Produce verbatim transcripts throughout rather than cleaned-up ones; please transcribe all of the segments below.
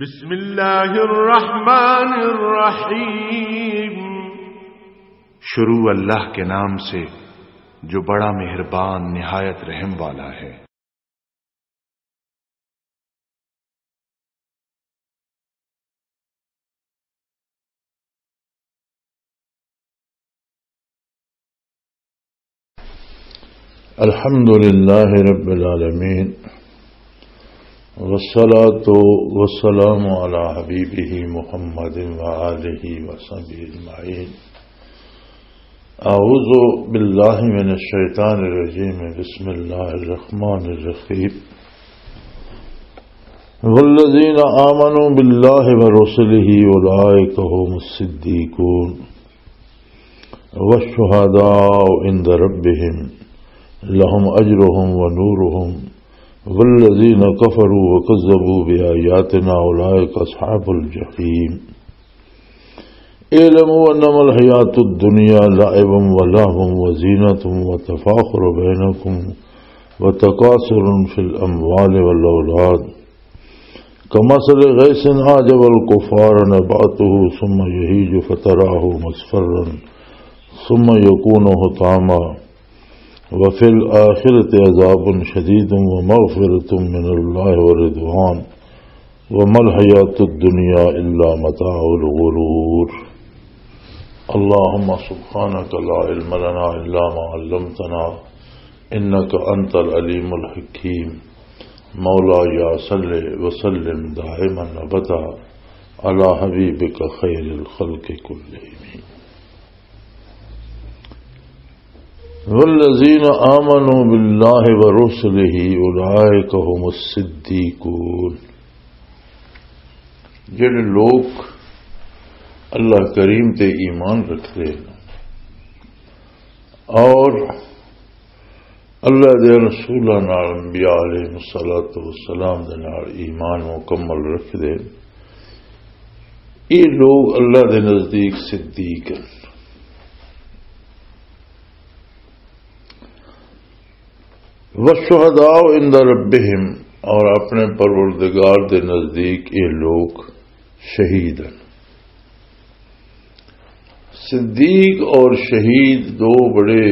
بسم اللہ الرحمن الرحیم۔ شروع اللہ کے نام سے، جو بڑا مہربان، نہایت رحم والا ہے۔ الحمد لله رب العالمين، والصلاة والسلام على حبيبه محمد وآله وصحبه أجمعين. أعوذ بالله من الشيطان الرجيم. بسم الله الرحمن الرحيم. والذين آمنوا بالله ورسله أولئك هم الصديقون. والشهداء عند ربهم لهم أجرهم ونورهم، والذين كفروا وكذبوا بآياتنا أولئك أصحاب الجحيم. اعلموا أنما الحياة الدنيا لعب ولهو وزينة وتفاخر بينكم وتكاثر في الأموال والأولاد، كمثل غيث أعجب الكفار نباته ثم يهيج فتراه مصفرا ثم يكون هطاما، وفي الآخرة عذاب شديد ومغفرة من الله ورضوان، وما الحياة الدنيا إلا متاع الغرور. اللهم سبحانك لا علم لنا إلا ما علمتنا، إنك أنت العليم الحكيم. مولاي صل وسلم دائما أبدا على حبيبك خير الخلق كلهم. والذين آمنوا بالله ورسله أولئك هم الصديقون۔ جڑے لوگ اللہ کریم تے ایمان رکھتے ہیں اور اللہ دے رسولاں نال، انبیاء علیہ الصلوۃ والسلام دے نال ایمان مکمل رکھدے، یہ لوگ اللہ دے نزدیک صدیق ہیں۔ والشہداء عند ربہم، اور اپنے پروردگار دے نزدیک یہ لوگ شہید ہیں۔ صدیق اور شہید دو بڑے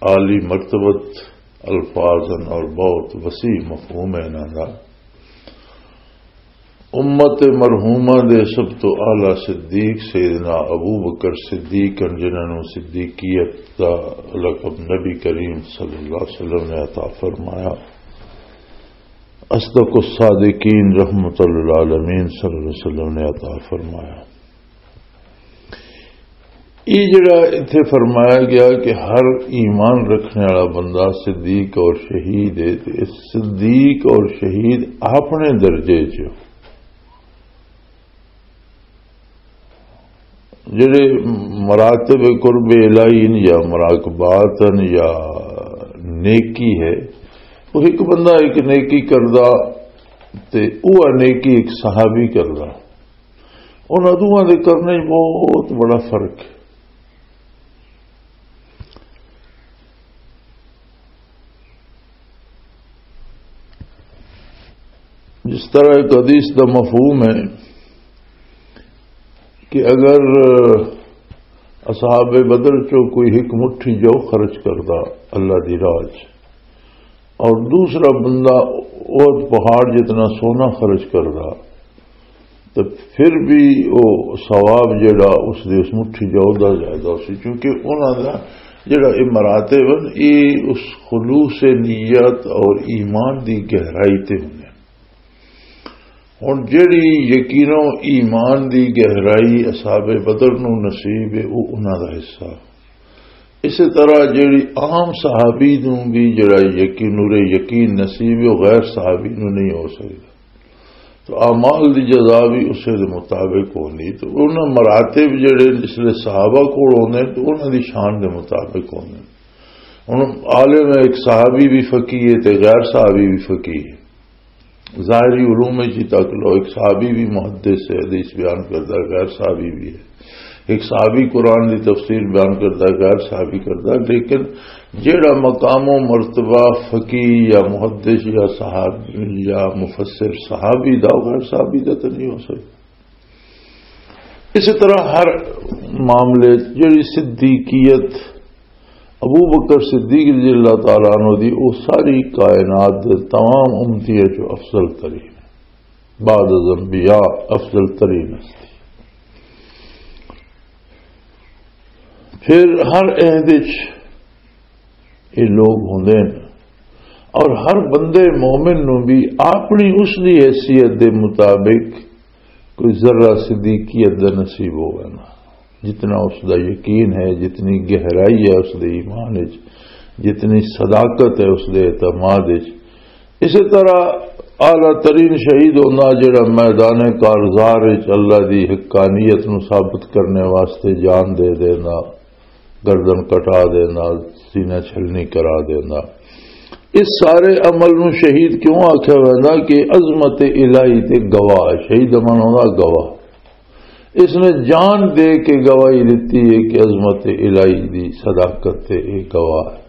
عالی مرتبت الفاظ ہیں اور بہت وسیع مفہوم ہے انہاں دا۔ امت مرحومہ دے سب تو اعلیٰ صدیق سیدنا ابو بکر صدیق ہیں، جنہاں نوں صدیقیت دا لقب نبی کریم صلی اللہ علیہ وسلم نے عطا فرمایا۔ اصدق الصادقین رحمت للعالمین صلی اللہ علیہ وسلم نے عطا فرمایا۔ یہ جڑا اتھے فرمایا گیا کہ ہر ایمان رکھنے والا بندہ صدیق اور شہید ہے، تے صدیق اور شہید اپنے درجے چ جڑے مراتب قرب الہی نے یا مراقبات نے یا نیکی ہے، وہ ایک بندہ ایک نیکی کردا تے وہ نیکی ایک صحابی کردا، انہاں دوواں دے کرنے وچ بہت بڑا فرق ہے۔ جس طرح ایک حدیث دا مفہوم ہے کہ اگر اصحاب بدر چوں کوئی ایک مٹھی جو خرچ کردا اللہ دی راہ چ، اور دوسرا بندہ احد پہاڑ جتنا سونا خرچ کردا، تو پھر بھی وہ ثواب جڑا اس دے اس مٹھی جو دا زیادہ ہو سی، کیونکہ انہاں دا جڑا یہ مراتب ہیں، یہ اس خلوص نیت اور ایمان دی گہرائی تے ہوندے۔ ہن جڑی یقینوں ایمان دی گہرائی اصحاب بدر نو نصیب ہے، وہ انہاں دا حصہ۔ اسی طرح جڑی عام صحابی نو بھی جڑا یقین، نور یقین نصیب ہے، وہ غیر صحابی نو نہیں ہو سکدا۔ تو اعمال دی جزا بھی اسے دے مطابق ہونی۔ تو انہاں مراتب جڑے جس لے صحابہ کول ہوندے تو انہاں دی شان دے مطابق ہوندے۔ ہن عالم ہے، ایک صحابی بھی فقیہ ہے تے غیر صحابی بھی فقیہ ہے۔ ظاہری علوم وچ ہی تک لو، ایک صحابی بھی محدث ہے، حدیث بیان کردا، غیر صحابی بھی ہے۔ ایک صحابی قرآن دی تفسیر بیان کردا، غیر صحابی کردا، لیکن جیڑا مقام و مرتبہ فقی یا محدث یا صحابی یا مفسر صحابی دا، غیر صحابی دا تو نہیں ہو سکتا۔ اسی طرح ہر معاملے جڑی صدیقیت ابو بکر صدیق رضی اللہ تعالیٰ عنہ دی، وہ ساری کائنات دے تمام امتیاں چوں افضل ترین، بعد از انبیاء افضل ترین ہستی۔ پھر ہر عہد وچ یہ لوگ ہوندے نے، اور ہر بندے مومن نو بھی اپنی اس دی حیثیت دے مطابق کوئی ذرہ صدیقیت دا نصیب ہوگا نا، جتنا اس دا یقین ہے، جتنی گہرائی ہے اس دے ایمان وچ، جتنی صداقت ہے اس دے اعتماد وچ۔ اسی طرح اعلیٰ ترین شہید ہونا جڑا میدان کارزار وچ اللہ دی حقانیت نو ثابت کرنے واسطے جان دے دینا، گردن کٹا دینا، سینہ چھلنی کرا دینا۔ اس سارے عمل نو شہید کیوں آکھیا ویندا؟ کہ عظمت الہی تے گواہ ہے۔ شہید دا معنی ہوندا گواہ۔ اس نے جان دے کے گواہی دتی ہے کہ عظمت الہی دی صداقت تے یہ گواہ ہے۔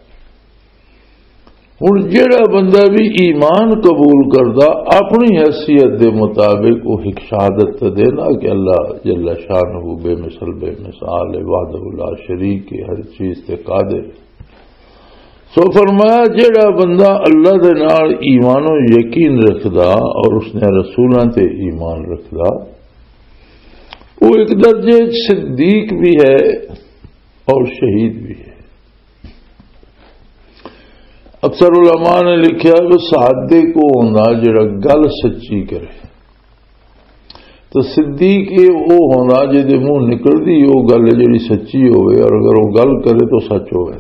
ہن جیڑا بندہ بھی ایمان قبول کردا، اپنی حیثیت دے مطابق وہ ایک شہادت تے دینا کہ اللہ جل شانہ بے مثل، بے مثال ہے، وحدہ لا شریک ہے، ہر چیز تے قادر۔ سو فرمایا، جیڑا بندہ اللہ دے نال ایمان و یقین رکھدا اور اس نے رسولاں تے ایمان رکھدا، وہ ایک درجے صدیق بھی ہے اور شہید بھی ہے۔ اکثر علماء نے لکھیا کہ صادق وہ ہوندا جڑا گل سچی کرے، تو صدیق یہ وہ ہوندا جے دے منہ نکلدی وہ گل جڑی سچی ہوے، اور اگر وہ گل کرے تو سچ ہوے۔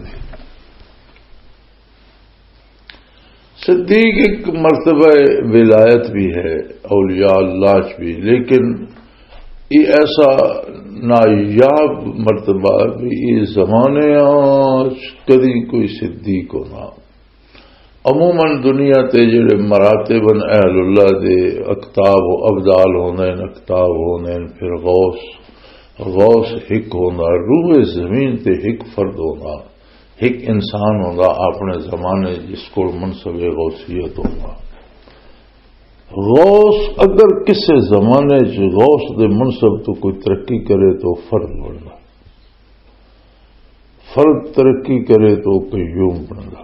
صدیق ایک مرتبہ ولایت بھی ہے، اولیاء اللہ چ بھی، لیکن یہ ایسا نایاب مرتبہ بھی یہ زمانے چ کدی کوئی صدیق ہونا۔ عموماً دنیا تے جڑے مراتب ہیں اہل اللہ دے، اقطاب و ابدال ہوندے ہیں، اقطاب ہوندے ہیں، پھر غوث، غوث ہک ہوندا، روح زمین تے ہک فرد ہوندا، ہک انسان ہوندا اپنے زمانے جس کول منصب غوثیت ہوندا۔ غوث اگر کسے زمانے چ غوث دے منصب تو کوئی ترقی کرے تو فرد بندا، فرد ترقی کرے تو قیوم بندا۔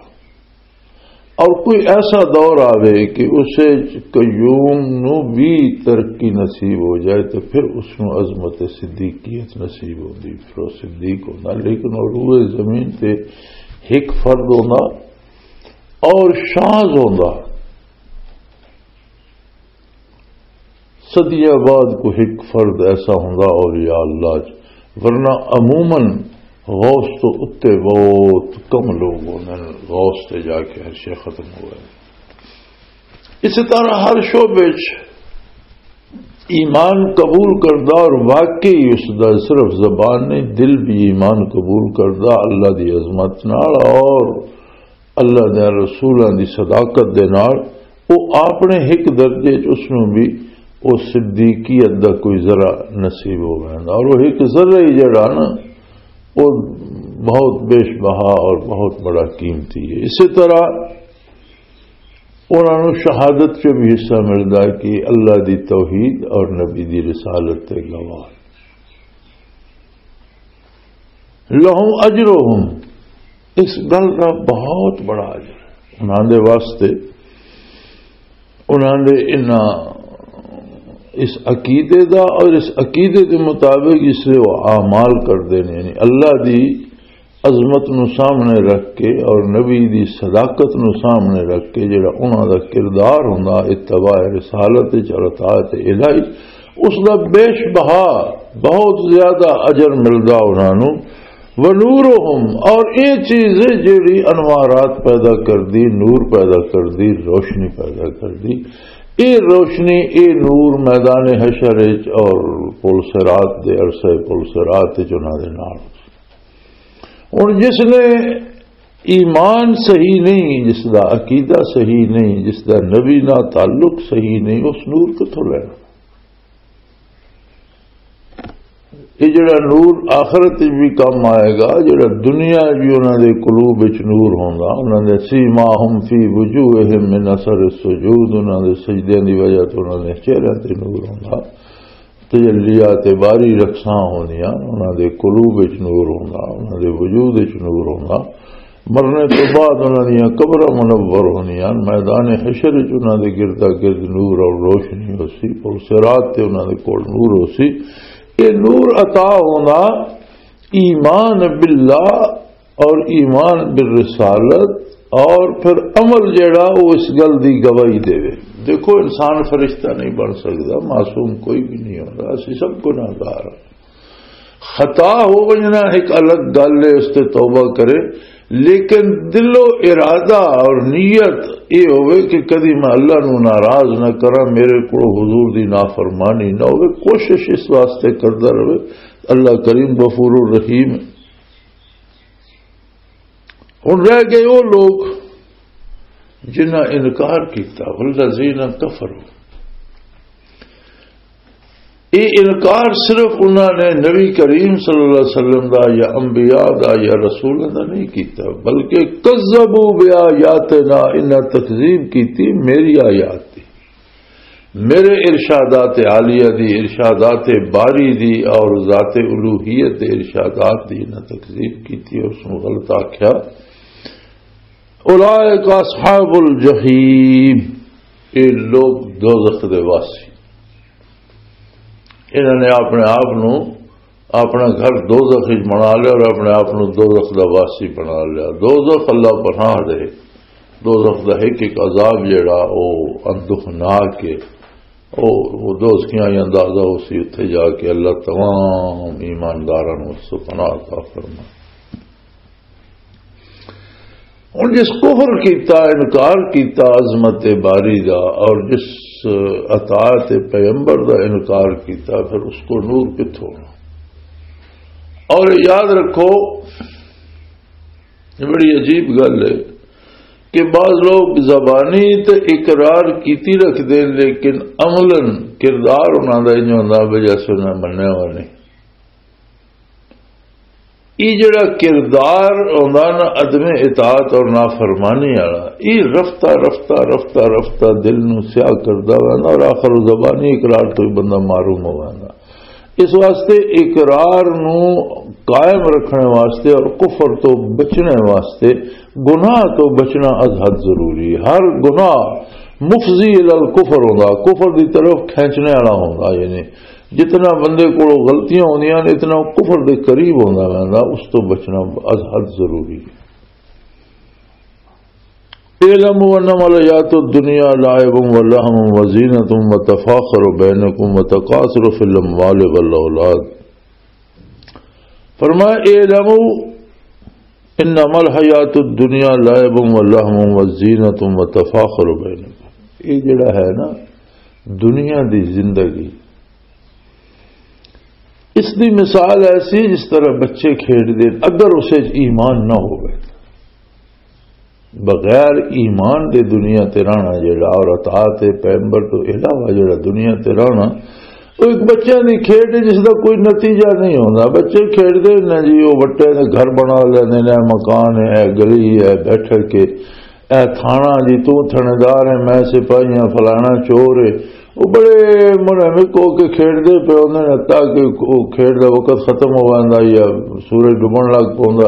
اور کوئی ایسا دور آوے کہ اسے قیوم نو بھی ترقی نصیب ہو جائے تو پھر اس نو عظمت صدیقیت نصیب ہوندی، پھر وہ صدیق ہوندا۔ لیکن وہ روئے زمین تے ہک فرد ہوندا اور شاز ہوندا۔ صدیاں بعد کوئی ایک فرد ایسا ہوندا اولیاء اللہ چ، ورنہ عموماً غوث تو اتے بہت کم لوگ ہوندے نے غوث تے جا کے ہر شے ختم ہوئے۔ اسی طرح ہر شعبے چ ایمان قبول کردا اور واقعی اس دا صرف زبان نہیں، دل بھی ایمان قبول کردا اللہ دی عظمت نال اور اللہ دے رسولاں دی صداقت دے نال، او اپنے ہک درجے چ اس نوں بھی او صدیقیت دا کوئی ذرا نصیب ہو ویندا، اور وہ ہک ذرہ ہی جڑا نا، وہ بہت بیش بہا اور بہت بڑا قیمتی ہے۔ اسی طرح انہاں نوں شہادت چ بھی حصہ ملدا ہے کہ اللہ دی توحید اور نبی دی رسالت تے گواہ۔ لہم اجرہم، اس گل کا بہت بڑا اجر ہے انہاں دے واسطے، انہاں دے انہاں اس عقیدے دا، اور اس عقیدے دے مطابق اس لیے وہ اعمال کردے نے، یعنی اللہ دی عظمت نو سامنے رکھ کے اور نبی دی صداقت نو سامنے رکھ کے جڑا انہاں دا کردار ہوندا اتباع رسالت وچ اور اطاعت الہی، اس دا بیش بہا، بہت زیادہ اجر ملدا انہاں نو۔ ونورہم، اور اے چیز جڑی انوارات پیدا کر دی، نور پیدا کر دی، روشنی پیدا کر دی، اے روشنی، اے نور میدان حشر وچ اور پل صراط دے، عرصہ پل صراط وچ انہاں دے نال۔ ہن جس نے ایمان صحیح نہیں، جس دا عقیدہ صحیح نہیں، جس دا نبی نال تعلق صحیح نہیں، اس نور کتھوں لینا؟ یہ جڑا نور آخرت وچ بھی کم آئے گا، جڑا دنیا وچ بھی انہاں دے قلوب وچ نور ہوندا، انہاں دے سیماہم فی وجوہہم من اثر السجود، انہاں دے سجدیاں دی وجہ تو انہاں دے چہریاں تے نور ہوندا۔ تجلیات باری رقصاں ہوندیاں، انہاں دے قلوب وچ نور ہوندا، انہاں دے وجود وچ نور ہوندا۔ مرنے تو بعد انہاں دیاں قبراں منور ہوندیاں، میدان حشر وچ انہاں دے گردا گرد نور اور روشنی ہوسی، پل صراط تے انہاں دے کول نور ہوسی۔ یہ نور عطا ہوندا ایمان باللہ اور ایمان بالرسالت، اور پھر عمل جڑا وہ اس گل دی گواہی دے۔ دیکھو، انسان فرشتہ نہیں بن سکتا، معصوم کوئی بھی نہیں ہوتا، اسی سب گناہگار ہاں۔ خطا ہو وجنا ایک الگ گل ہے، اس تے توبہ کرے، لیکن دل و ارادہ اور نیت یہ ہوئے کہ کدی میں اللہ نو ناراض نہ کراں، میرے کو حضور دی نافرمانی نہ ہوئے، کوشش اس واسطے کردا رہے۔ اللہ کریم غفور الرحیم۔ ہن رہ گئے وہ لوگ جنہاں انکار کیتا، والذین کفروا۔ یہ انکار صرف انہاں نے نبی کریم صلی اللہ علیہ وسلم دا یا انبیاء دا یا رسولوں دا نہیں کیتا، بلکہ کذبوا بآیاتنا، انہاں تکذیب کیتی میری آیات دی، میرے ارشادات عالیہ دی، ارشادات باری دی اور ذات الوہیت دے ارشادات دی انہاں تکذیب کیتی اور اس نوں غلط آکھیا۔ اولئک اصحاب الجحیم، یہ لوگ دوزخ دے واسی۔ انہوں نے اپنے آپ نو، اپنا گھر دوزخ وچ بنا لیا اور اپنے آپ نو دوزخ دا واسی بنا لیا۔ دوزخ اللہ پناہ دے، دوزخ دا ایک ایک عذاب جڑا او اندوہناک ہے۔ او، او دوزخیاں ہی اندازہ ہو سی، اتھے جا کے اللہ تمام ایمانداراں نو اس پناہ عطا فرمائے۔ ہن جس کفر کیتا، انکار کیتا عظمت باری دا، اور جس اطاعت پیغمبر دا انکار کیتا، پھر اس کو نور کتھوں ہونا؟ اور یاد رکھو، یہ بڑی عجیب گل ہے کہ بعض لوگ زبانی تے اقرار کیتی رکھدے، لیکن عملاً کردار انہاں دا انج ہوندا بھی جیسے انہاں منیا ہوا نہیں۔ یہ جڑا کردار ہوندا نا عدم اطاعت اور نافرمانی والا، یہ رفتہ رفتہ رفتہ رفتہ دل نو سیاہ کردا ویندا اور آخر زبانی اقرار تو ہی بندہ محروم ہو ویندا۔ اس واسطے اقرار نو قائم رکھنے واسطے اور کفر تو بچنے واسطے، گناہ تو بچنا از حد ضروری ہے۔ ہر گناہ مفضی الی الکفر ہوندا، کفر دی طرف کھینچنے والا ہوندا۔ یعنی جتنا بندے کولوں غلطیاں ہوندیاں نے، اتنا کفر دے قریب ہوندا رہندا، اس تو بچنا از حد ضروری ہے۔ اعلموا انما الحیات الدنیا لعب و لہو و زینت و تفاخر بینکم و تکاثر فی الاموال والاولاد۔ فرمایا، اعلموا انما الحیات الدنیا لعب و لہو و زینت و تفاخر بینکم۔ یہ جڑا ہے نا دنیا دی زندگی، اس دی مثال ایسی جس طرح بچے کھیڈ دے، اگر اسے وچ ایمان نہ ہوئے، بغیر ایمان دے دنیا تے رہنا جڑا اور اطاعت پیغمبر تو علاوہ جڑا دنیا تے رہنا، وہ ایک بچے دی کھیڈ ہے جس دا کوئی نتیجہ نہیں ہوندا۔ بچے کھیڈ دے نے جی، وہ بٹے نے گھر بنا لیندے نے، مکان ہے، گلی ہے، بیٹھک کے، اے تھانہ جی، تو تھانیدار ہے، میں سپاہی ہاں، فلانا چور ہے۔ وہ بڑے منہمک ہو کے کھیڈ دے پے ہوندے نے، تاکہ وہ کھیڈ دا وقت ختم ہو جاندا یا سورج ڈبن لگ پوندا۔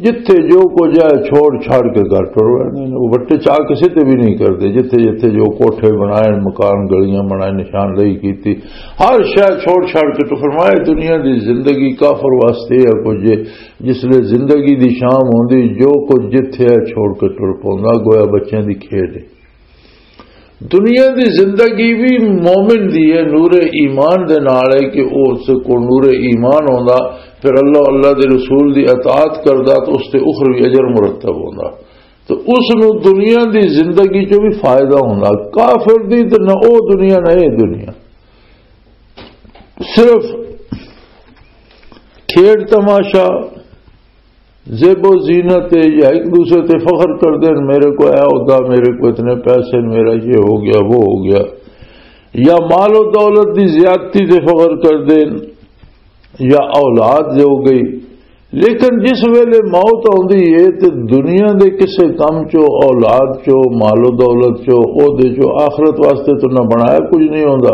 جتھے جو کچھ ہے چھوڑ چھاڑ کے گھر ٹر ویندے نے۔ وہ بٹے چاہ کسے تے بھی نہیں کردے۔ جتھے جتھے جو کوٹھے بنائے، مکان، گلیاں بنائے، نشاندہی کیتی، ہر شے چھوڑ چھاڑ کے۔ تو فرمایا، دنیا دی زندگی کافر واسطے ہے کچھ، جس لے زندگی دی شام ہوندی، جو کچھ جتھے ہے چھوڑ کے ٹر پوندا، گویا بچیاں دی کھیڈ ہے۔ دنیا دی زندگی بھی مومن دی ہے، نور ایمان دے نال ہے کہ او اس کو نور ایمان ہوندا، پھر اللہ، اللہ دے رسول دی اطاعت کردا تو اس تے اخروی اجر مرتب ہوندا۔ تو اس نو دنیا دی زندگی چوں بھی فائدہ ہوندا، کافر دی تے نہ او دنیا نہ اے دنیا۔ صرف کھیڈ تماشا، زیب و زینت ہے، یا ایک دوسرے تے فخر کر دین، میرے کو اے ہوتا، میرے کو اتنے پیسے، میرا یہ ہو گیا، وہ ہو گیا، یا مال و دولت دی زیادتی تے فخر کر دین، یا اولاد جو گئی۔ لیکن جس ویلے موت آندی ہے تے دنیا دے کسے کم چو، اولاد چو، مال و دولت چو، عہدے چو، آخرت واسطے تو نہ بنایا کچھ نہیں ہوندا۔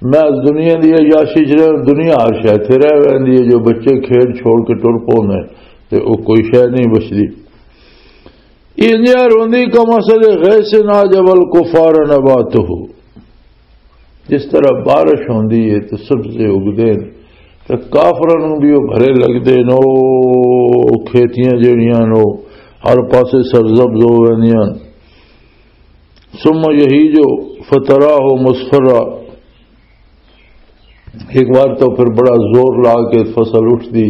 میں اس دنیا دی عیاشی چ رہاں، دنیا ہر شے تے رہ ویندی ہے، جو بچے کھیڈ چھوڑ کے ٹر پوندے تے او کوئی شے نہیں بچدی۔ انجا روندی کمثل غیث اعجب الکفار نباتہ، جس طرح بارش ہوندی ہے تے سبزے اگدے نے، تے کافراں نوں بھی او بھرے لگدے نے، او کھیتیاں جیڑیاں نے، او ہر پاسے سرسبز ہو ویندیاں۔ ثم یہیج فتراہ مصفرا، ایک بار تو پھر بڑا زور لا کے فصل اٹھدی،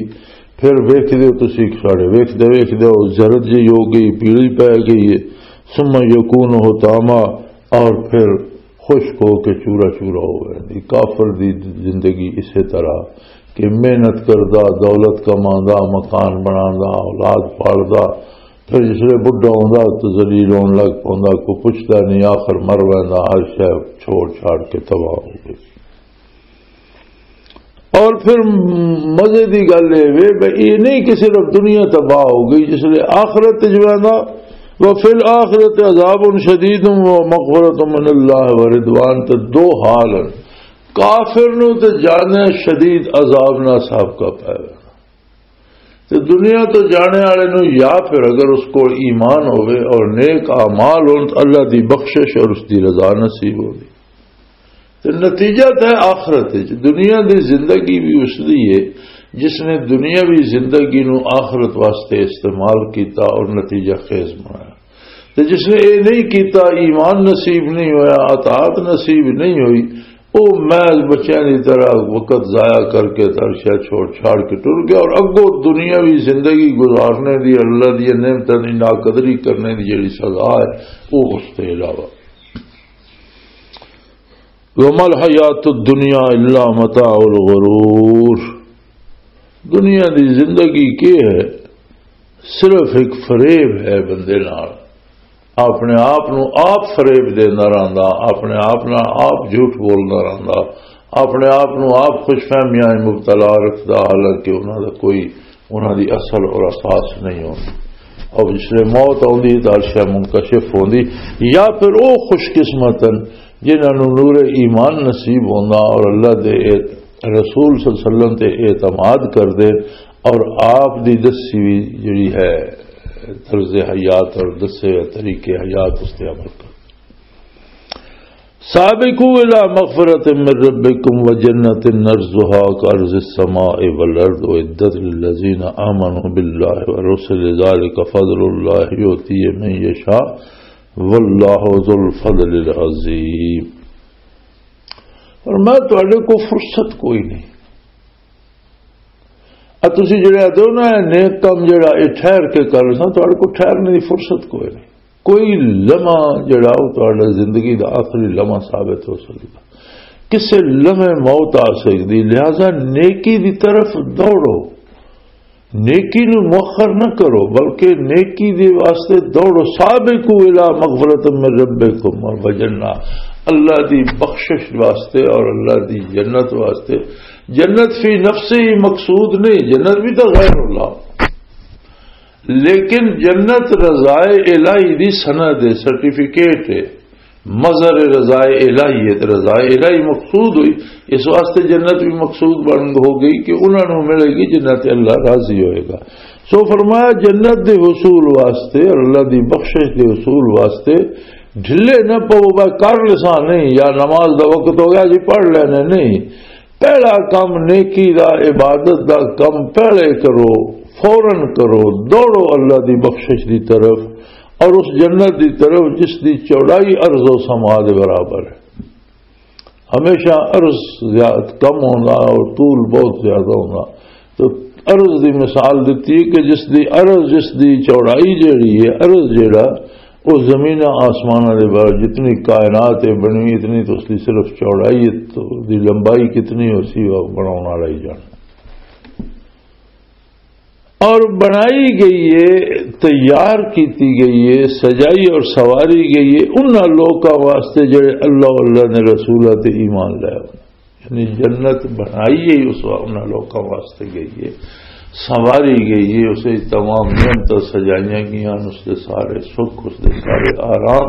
پھر ویکھدے ہو تسی، ساڑے ویکھدے ویکھدے ہو زرد جی ہو گئی، پیلی پے گئی ہے۔ ثم یکون حطاما، اور پھر خشک ہو کے چورا چورا ہو گیا۔ کافر دی زندگی اسی طرح کہ محنت کردا، دولت کماندا، مکان بناندا، اولاد پالدا، پھر جس ویلے بڈھا ہوندا تو ذلیل ہون لگ پوندا، کوئی پوچھدا نہیں، آخر مر ویندا، ہر شے چھوڑ چھاڑ کے تباہ ہو گئی۔ اور پھر مزے دی گل اے وے بھئی، اے نہیں کہ صرف دنیا تباہ ہو گئی، جس ویلے آخرت وچ ویندا، وفی الآخرۃ عذاب شدید و مغفرۃ من اللہ و رضوان، تے دو حال ہیں۔ کافر نو تے جانے شدید عذاب نہ سابقہ پے ویندا۔ تے دنیا تو جانے والے نو یا پھر اگر اس کول ایمان ہوے اور نیک اعمال ہون تو اللہ دی بخشش اور اس دی رضا نصیب ہوگی۔ تے نتیجہ تے آخرت وچ۔ دنیا دی زندگی بھی اس دی ہے جس نے دنیاوی زندگی نو آخرت واسطے استعمال کیتا اور نتیجہ خیز بنایا۔ تے جس نے اے نہیں کیتا، ایمان نصیب نہیں ہویا، اطاعت نصیب نہیں ہوئی، او محض بچیاں دی طرح وقت ضائع کر کے ترشا چھوڑ چھاڑ کے ٹر گیا، اور اگوں دنیاوی زندگی گزارنے دی، اللہ دی نعمتاں دی ناقدری کرنے دی جڑی سزا ہے، او اس تے علاوہ۔ وما الحیات الدنیا الا متاع الغرور۔ دنیا دی زندگی کی ہے؟ صرف ایک فریب ہے بندے نال۔ اپنے آپ نو آپ فریب دیندا رہندا، اپنے آپ نال آپ جھوٹ بولدا رہندا، اپنے آپ نو آپ خوش فہمیاں وچ مبتلا رکھدا، حالانکہ انہاں دا کوئی، انہاں دی اصل اور اساس نہیں ہوندی۔ اور جس لے موت آندی ہے تو عرش منکشف ہوندی۔ یا پھر او خوش قسمت ہیں جنہاں نو نور ایمان نصیب ہوندا اور اللہ دے اعت-، رسول صلی اللہ علیہ وسلم تے اعتماد کردے اور آپ دی دسی ہوئی جڑی ہے طرز حیات اور دسے ہوئے طریقے حیات اس تے عمل کردے۔ سابقوا الى مغفرة من ربكم وجنة عرضها كعرض السماء والارض اعدت للذين آمنوا بالله ورسله ذلك فضل الله يؤتيه من يشاء والله ذو الفضل العظيم۔ اور میں تہاڈے کو فرصت کوئی نہیں۔ ا تسی جڑے آتے ہو نا، اے نیک کم جڑا اے ٹھہر کے کر ساں، تہاڈے کو ٹھہرنے دی فرصت کوئی نہیں۔ کوئی لمحہ جڑا او تہاڈا زندگی دا آخری لمحہ ثابت ہو سکدا، کسے لمحے موت آ سکدی، لہذا نیکی دی طرف دوڑو، نیکی نو مؤخر نہ کرو، بلکہ نیکی دے واسطے دوڑو۔ سابقوا الی مغفرۃ من ربکم و جنہ، اللہ دی بخشش واسطے اور اللہ دی جنت واسطے۔ جنت فی نفسہ مقصود نہیں، جنت بھی تو غیر اللہ، لیکن جنت رضائے الہی دی سند ہے، سرٹیفکیٹ ہے، مظہر رضائے الہی ہے، تے رضائے الہی مقصود ہوئی، اس واسطے جنت بھی مقصود بن ہو گئی کہ انہاں نوں ملے گی جنت، اللہ راضی ہوئے گا۔ سو فرمایا، جنت دے حصول واسطے اور اللہ دی بخشش دے حصول واسطے ڈھلے نہ پو، بس کر لساں نہیں، یا نماز دا وقت ہو گیا جی پڑھ لینے نہیں، پہلا کم نیکی دا، عبادت دا کم پہلے کرو، فوراً کرو، دوڑو اللہ دی بخشش دی طرف اور اس جنت دی طرف جس دی چوڑائی ارض و سما دے برابر ہے۔ ہمیشہ ارض زیادہ کم ہونا اور طول بہت زیادہ ہونا۔ تو ارض دی مثال دیتی ہے کہ جس دی ارض، جس دی چوڑائی جیڑی ہے، ارض جیڑا، وہ زمین آسمان دے بارے جتنی کائنات ہے بنی، اتنی تو اس دی صرف چوڑائی ہے، تو دی لمبائی کتنی ہو سی، وہ بناؤن والا ہی جانے۔ اور بنائی گئی ہے، تیار کیتی گئی ہے، سجائی اور سواری گئی ہے انہاں لوکاں واسطے جڑے اللہ، اللہ نے رسولہ تے ایمان لے۔ یعنی جنت بنائی ہے اس وا-، انہاں لوکاں واسطے گئی ہے، سنواری گئی ہے، اسے تمام نعمتاں سجائیاں گئیاں، اس دے سارے سکھ، اس دے سارے آرام،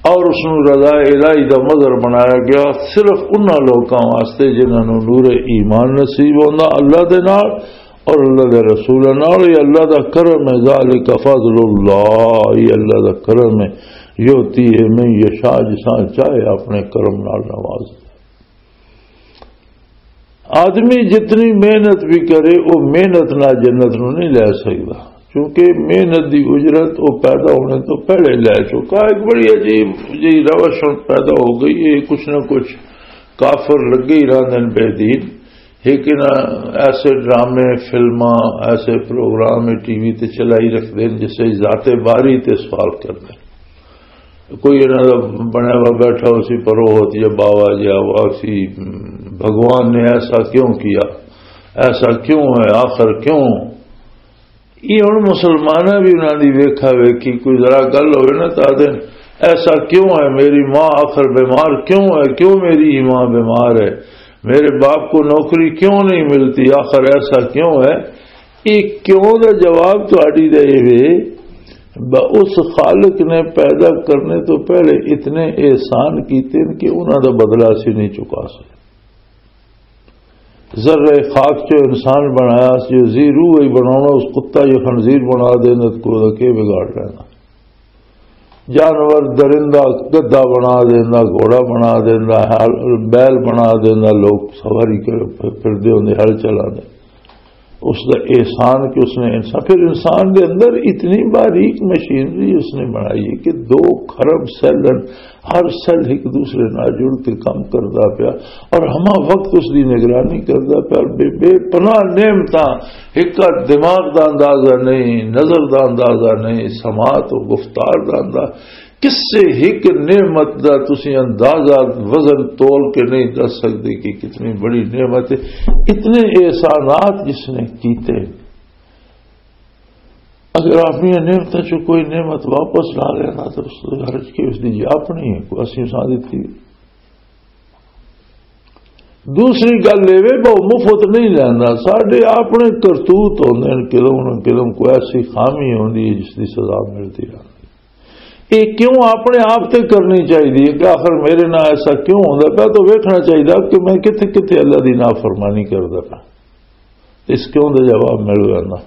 اور اس نوں رضا الہی دا مظہر بنایا گیا صرف انہاں لوکاں واسطے جنہاں نوں نور ایمان نصیب ہوندا اللہ دے نال اور اللہ دے رسول نال۔ یہ اللہ دا کرم ہے، ذالک فضل اللہ، یہ اللہ دا کرم ہے، یؤتی ہے من یشاء، جساں چاہے اپنے کرم نال نواز۔ آدمی جتنی محنت بھی کرے، وہ محنت نال جنت نوں نہیں لے سکدا، کیونکہ محنت دی اجرت وہ پیدا ہونے تو پہلے لے چکا۔ ایک بڑی عجیب جی روش ہن پیدا ہو گئی ہے، کچھ نہ کچھ کافر لگے ہی رہندے نے بے دین، لیکن ایسے ڈرامے، فلماں، ایسے پروگرام ٹی وی تے چلائی رکھدے نے جس سے ذات باری تے سوال کردے۔ کوئی انہاں دا بنیا ہوا بیٹھا ہو سی پروہت یا باوا جیا، وہ سی بھگوان نے ایسا کیوں کیا، ایسا کیوں ہے، آخر کیوں؟ یہ ہن مسلماناں بھی انہاں دی ویکھا ویکھی، کوئی ذرا گل ہوئے نا تو آدھے، ایسا کیوں ہے؟ میری ماں آخر بیمار کیوں ہے؟ کیوں میری ماں بیمار ہے؟ میرے باپ کو نوکری کیوں نہیں ملتی؟ آخر ایسا کیوں ہے؟ یہ کیوں دا جواب تہاڈی دا یہ وے، ب-، اس خالق نے پیدا کرنے تو پہلے اتنے احسان کیتے ہیں کہ انہاں دا بدلہ اسی نہیں چکا سکے۔ ذرہ خاک چو انسان بنایا، جو زی روح ہی بناونا، اس کتا یہ خنزیر بنا دینا، تو کوئی دا کے بگاڑ لینا؟ جانور، درندہ، گدھا بنا دینا، گھوڑا بنا دینا، ہل-، بیل بنا دینا، لوگ سواری کر پھر دے ہوندے، ہل چلا دے۔ اس دا احسان کہ اس نے انسان، پھر انسان دے اندر اتنی باریک مشینری اس نے بنائی ہے کہ دو خرب سیل ہن، ہر سیل ایک دوسرے نال جڑ کے کم کردا پیا، اور ہما وقت اس دی نگرانی کردا پیا، اور بے، بے پناہ نعمتاں، ایک دماغ دا اندازہ نہیں، نظر دا اندازہ نہیں، سماعت و گفتار دا اندازہ، کسے ایک نعمت دا تسی اندازہ، وزن تول کے نہیں دس سکتے کہ کتنی بڑی نعمت ہے۔ اتنے احسانات جس نے کیتے، اگر اپنی نعمتوں چ کوئی نعمت واپس لا لینا تو اس گھر چ کے اس دی اپنی ہے، کوئی اسی سا دیتی۔ دوسری گل یہ وے، بہت مفت نہیں لینا، ساڈے اپنے کرتوت ہوندے نے، کدوں نہ کدوں کوئی ایسی خامی ہوندی ہے جس دی سزا ملتی رہتی۔ یہ کیوں اپنے آپ تے کرنی چاہیے کہ آخر میرے نال ایسا کیوں ہوندا پیا؟ تو ویکھنا چاہیے کہ میں کتھے کتھے اللہ دی نافرمانی کردا پیا۔ اس کیوں دا جواب مل جانا۔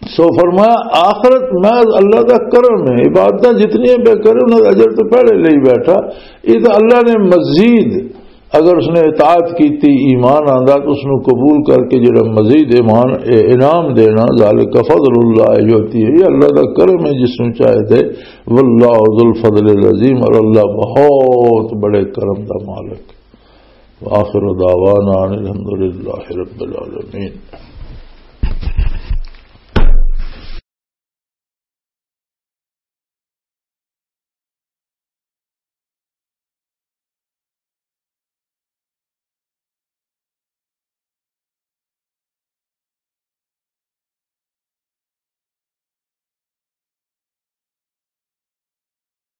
سو فرمایا، آخرت میں اللہ دا کرم ہے، عبادتاں جتنی پہ کرے، انہاں دا اجر تو پہلے لے بیٹھا۔ یہ تو اللہ نے مزید، اگر اس نے اطاعت کیتی، ایمان آندا، تو اس نو قبول کر کے جڑا مزید ایمان، اے، انعام دینا، ذالک فضل اللہ یؤتی ہے، یہ اللہ دا کرم ہے جس نو چاہے دے۔ واللہ ذو الفضل العظیم، اور اللہ بہت بڑے کرم دا مالک۔ وآخر دعوانا ان الحمدللہ رب العالمین۔